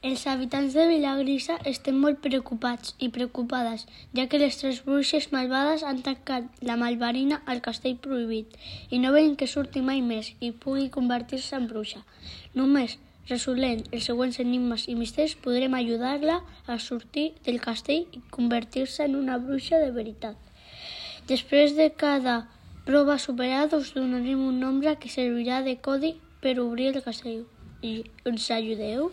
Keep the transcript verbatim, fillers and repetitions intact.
Els habitants de Vilagrisa estem molt preocupats i preocupades, ja que les tres bruixes malvades han tancat la Malvarina al castell prohibit i no volen que surti mai més i pugui convertir-se en bruixa. Només resolent els següents enigmes i misteris podrem ajudar-la a sortir del castell i convertir-se en una bruixa de veritat. Després de cada prova superada us donarem un nombre que servirà de codi per obrir el castell. I ens ajudeu?